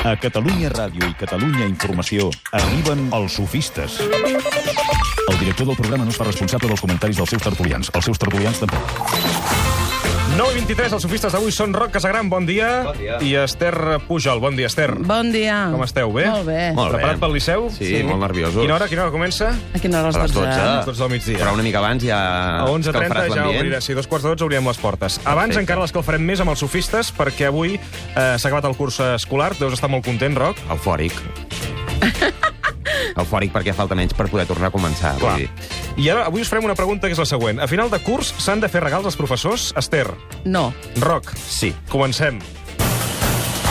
A Catalunya Ràdio i Catalunya Informació arriben els sofistes. El director del programa no es fa responsable dels comentaris dels seus tertulians. Els seus tertulians tampoc. 9:23, els sofistes d'avui són Roc Casagran, bon dia. Bon dia. I Esther Pujol, bon dia, Esther. Bon dia. Com esteu, bé? Molt bé. Molt bé. Preparat pel Liceu? Sí, molt nerviosos. Quina hora comença? A quina hora? A les 12. A les 12 del migdia. Però una mica abans ja A 11:30 escalfaràs ja l'ambient. obrirà. Sí, 2:15 obrirem les portes. Abans Perfecte. encara l'escalfarem més amb els sofistes, perquè avui s'ha acabat el curs escolar. Deus estar molt content, Roc? Eufòric. Eufòric perquè falta menys per poder tornar a començar. Clar. Vull dir. I ara avui us farem una pregunta que és la següent. A final de curs s'han de fer regals als professors? Esther, No. Roc, Sí. comencem.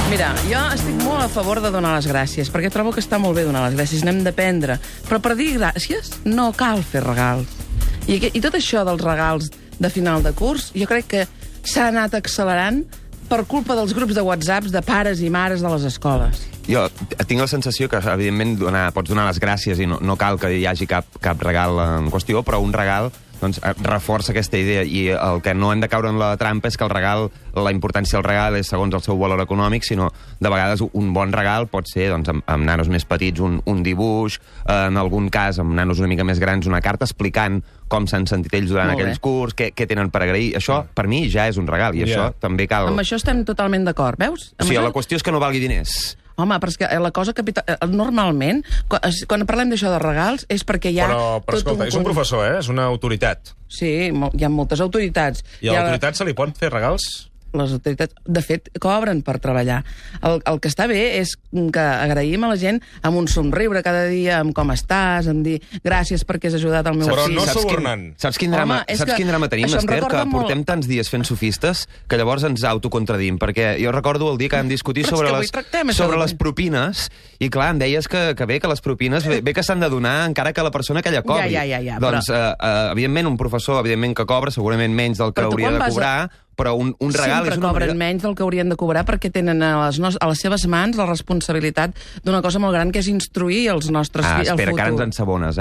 Mira, jo estic molt a favor de donar les gràcies, perquè trobo que està molt bé donar les gràcies, n'hem d'aprendre. Però per dir gràcies no cal fer regals. I tot això dels regals de final de curs, jo crec que s'ha anat accelerant per culpa dels grups de WhatsApps de pares i mares de les escoles. Jo tinc la sensació que, evidentment, pots donar les gràcies i no cal que hi hagi cap regal en qüestió, però un regal doncs, reforça aquesta idea. I el que no hem de caure en la trampa és que el regal, la importància del regal és segons el seu valor econòmic, sinó de vegades un bon regal pot ser doncs, amb nanos més petits un dibuix, en algun cas amb nanos una mica més grans una carta explicant com s'han sentit ells durant Molt bé. aquells curs, què tenen per agrair. Això, per mi, ja és un regal, i això també cal... Amb això estem totalment d'acord, veus? Amb Sí, això... la qüestió és que no valgui diners. Home, però és que la cosa normalment, quan parlem d'això de regals, és perquè hi ha... Però escolta, és un professor, és una autoritat. Sí, hi ha moltes autoritats. I a l'autoritat se li pot fer regals? Les autoritats, de fet, cobren per treballar. El que està bé és que agraïm a la gent amb un somriure cada dia, amb com estàs, amb dir gràcies perquè has ajudat el meu Però fill. no Saps subornant. Saps quin drama, Home, és saps que quin drama tenim, això em Esther? Que recorda molt- portem tants dies fent sofistes que llavors ens autocontradim. Perquè jo recordo el dia que vam discutir Però és sobre, que avui tractem això sobre de- les propines i, clar, em deies que bé, que les propines bé que s'han de donar encara que la persona que ella cobri. Ja, Doncs, evidentment, un professor, evidentment, que cobra segurament menys del que Però tu hauria quan de vas a- cobrar, però un regal Sempre és una cobren manera... menys del que haurien de cobrar perquè tenen a les seves mans la responsabilitat d'una cosa molt gran, que és instruir els nostres fills al espera, futur. que ara ens ensabones,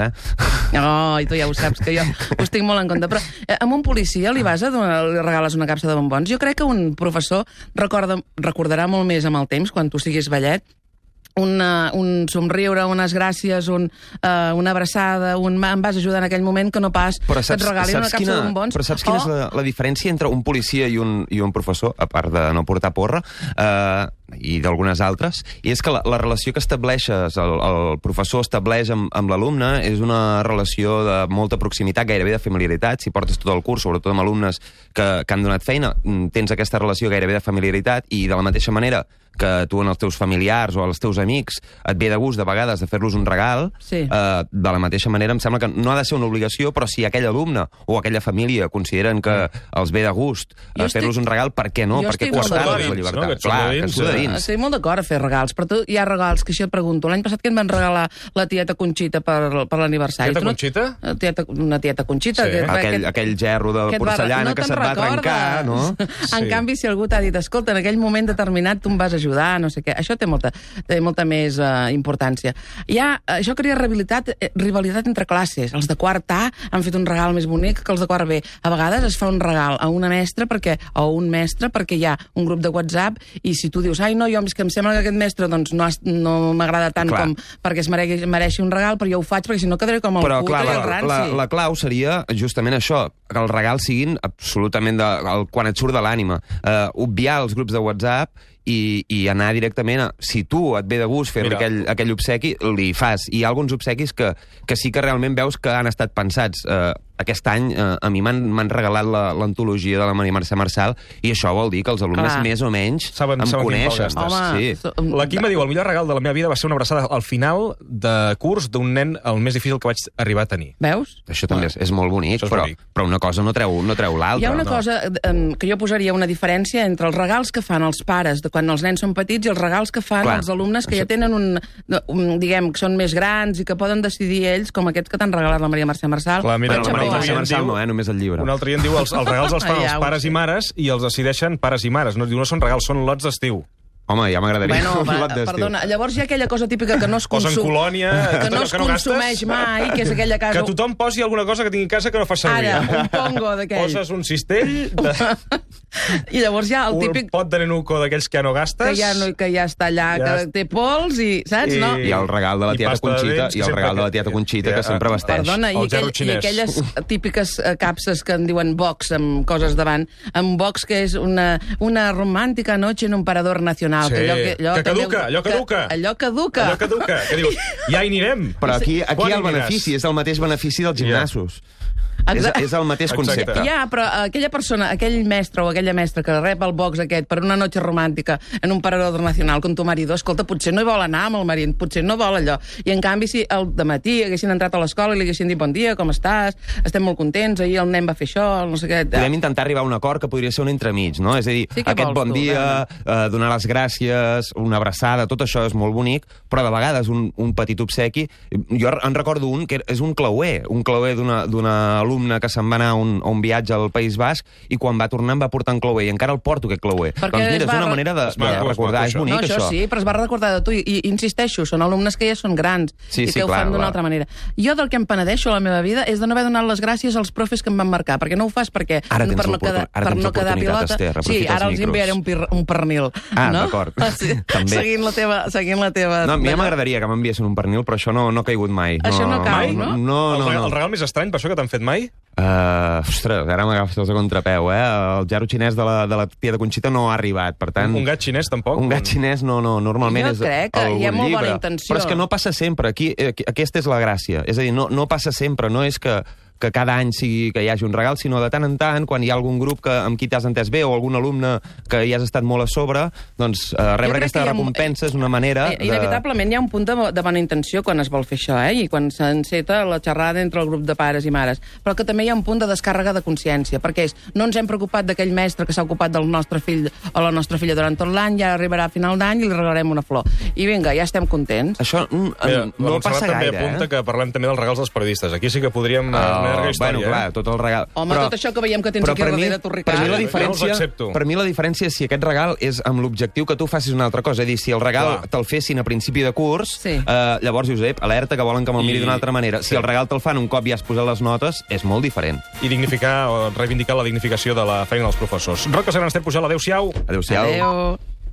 Oh, i tu ja ho saps, que jo us tinc molt en compte. Però amb un policia li li regales una capsa de bombons? Jo crec que un professor recordarà molt més amb el temps, quan tu siguis vellet, un somriure, unes gràcies, una abraçada, em vas ajudar en aquell moment, que no pas que et regalin una capsa de bombons. Però saps quina és la diferència entre un policia i un professor, a part de no portar porra, i d'algunes altres, i és que la relació que estableixes, el professor estableix amb l'alumne, és una relació de molta proximitat, gairebé de familiaritat. Si portes tot el curs, sobretot amb alumnes que han donat feina, tens aquesta relació gairebé de familiaritat, i de la mateixa manera que tu en els teus familiars o als teus amics et ve de gust de vegades de fer-los un regal, Sí. de la mateixa manera em sembla que no ha de ser una obligació, però si aquell alumne o aquella família consideren que els ve de gust fer-los un regal, per què no? jo Per què estic molt coartar-los d'acord. la llibertat? No, que et surt Clar, de que dins, et surt de dins. Estic molt d'acord a fer regals, però tu hi ha regals que això et pregunto. L'any passat que em van regalar la tieta Conxita per l'aniversari. Tieta Tu no- Conxita? Una tieta Conxita. Sí. Aquell gerro de que et porcellana que te'n se't va trencar, no? recordes. Sí. En canvi, si algú t'ha dit, escolta, en aquell moment determinat tu em vas ajudar, no sé què, això té molta més importància. Això crea rivalitat entre classes. Els de quart A han fet un regal més bonic que els de quart B. A vegades es fa un regal a una mestra o un mestre perquè hi ha un grup de WhatsApp, i si tu dius, ai no, jo és que em sembla que aquest mestre doncs, no m'agrada tant Clar. com perquè es mereixi un regal, però jo ho faig perquè si no quedaré com el Però, puto clar, i el ranci. la clau seria justament això, que els regals siguin absolutament quan et surt de l'ànima. Obviar els grups de WhatsApp i anar directament a... Si tu et ve de gust fer-li aquell obsequi, li fas. I hi ha alguns obsequis que sí que realment veus que han estat pensats. Aquest any a mi m'han regalat l'antologia de la Maria Mercè Marçal, i això vol dir que els alumnes Clar. més o menys Saben em quin coneixen. pal gastes. Home, La Quima diu, el millor regal de la meva vida va ser una abraçada al final de curs d'un nen el més difícil que vaig arribar a tenir. Veus? Això també és molt bonic, Això és però, bonic. però una cosa no treu l'altra. Hi ha una cosa que jo posaria una diferència entre els regals que fan els pares de quan els nens són petits i els regals que fan Clar. els alumnes que ja tenen diguem, que són més grans i que poden decidir ells, com aquests que t'han regalat la Maria Mercè Marçal. Clar, mira, Però la Maria un Mercè altre Marçal diu- no, només el llibre. Un altre dia en diu, els regals els fan Ja els ho pares sé. i mares i els decideixen pares i mares. No, diu, no són regals, són lots d'estiu. Home, ja m'agradaria Bueno, un lot d'estiu. perdona, llavors hi ha aquella cosa típica que no es Posen colònia, que no es que no gastes. consumeix mai, que és aquella casa... Que tothom posi alguna cosa que tingui a casa que no fa servir. Ara, un pongo d'aquell. Poses un cistell, I llavors hi ha el típic un pot de nenuco d'aquells que ja no gastes... que ja està allà, que té pols i... Saps, no? I el regal de la I tieta pasta de Conxita, dents, i el que regal sempre de la tieta Conxita, que sempre vesteix. Perdona, El zero i xinès. aquelles típiques capses que en diuen box, amb coses davant, amb box que és una romàntica noche en un parador nacional. Sí, allò que caduca, allò caduca. Allò caduca. Allò caduca, que dius, ja hi anirem. Però aquí Quan el hi aniràs? benefici és el mateix benefici dels gimnasos. Exacte. És el mateix concepte. Ja, però aquella persona, aquell mestre o aquella mestra que rep el box aquest per una noche romàntica en un parador nacional con tu marido, escolta, potser no hi vol anar amb el marit, potser no vol allò. I en canvi, si al dematí haguessin entrat a l'escola i li haguessin dit bon dia, com estàs, estem molt contents, ahir el nen va fer això, no sé què... Podem intentar arribar a un acord que podria ser un entremig, no? És a dir, Sí, què aquest vols bon tu, dia, donar les gràcies, una abraçada, tot això és molt bonic, però de vegades un petit obsequi... Jo en recordo un que és un clauer d'una alumna que se'n va anar a un viatge al País Basc i quan va tornar em va portar un clauer i encara el porto, aquest clauer. Perquè Doncs mira, es va és una manera de recordar, és bonic, No, això sí, però es va recordar de tu i insisteixo, són alumnes que ja són grans Sí, i sí, que ho clar, fan d'una clar. altra manera. Jo del que em penedeixo a la meva vida és de no haver donat les gràcies als profes que em van marcar, perquè no ho fas perquè Ara tens per no quedar, ara tens quedar l'oportunitat, pilota. Esther, Sí, aprofita ara els els enviaré un pernil. Ah, no? d'acord. Sí, També. seguint la teva... No, a mi ja m'agradaria que m'enviessin un pernil, però això no ha caigut mai. Això no cau, no? No. El regal més estrany, per això, que t'han fet mai? Ostres, ara m'agafes a contrapeu, eh? El gerro xinès de la tieta Conxita no ha arribat, per tant... Un gat xinès, tampoc? Un gat xinès no, normalment Jo és crec que hi ha algun molt bona llibre. intenció. Però és que no passa sempre, aquesta és la gràcia. És a dir, no passa sempre, no és que cada any sigui que hi hagi un regal, sinó de tant en tant, quan hi ha algun grup amb qui t'has entès bé o algun alumne que hi has estat molt a sobre, doncs rebre aquesta recompensa és una manera de... Inevitablement hi ha un punt de bona intenció quan es vol fer això, i quan s'enceta la xerrada entre el grup de pares i mares, però que també hi ha un punt de descàrrega de consciència, perquè no ens hem preocupat d'aquell mestre que s'ha ocupat del nostre fill o la nostra filla durant tot l'any, ja arribarà a final d'any i li regalarem una flor. I vinga, ja estem contents. Això no passa també gaire, apunta que parlem també dels regals dels periodistes. Aquí sí que podríem... Bueno, clar, tot el regal... Home, tot això que veiem que tens aquí darrere, tu, Ricard. Per mi la diferència és si aquest regal és amb l'objectiu que tu facis una altra cosa. És a dir, si el regal te'l fessin a principi de curs, llavors, Josep, alerta, que volen que me'l miri d'una altra manera. Si el regal te'l fan un cop ja has posat les notes, és molt diferent. I dignificar o reivindicar la dignificació de la feina dels professors. Roc Casagrans, Esther Pujol, adéu-siau. Adéu-siau. Adéu.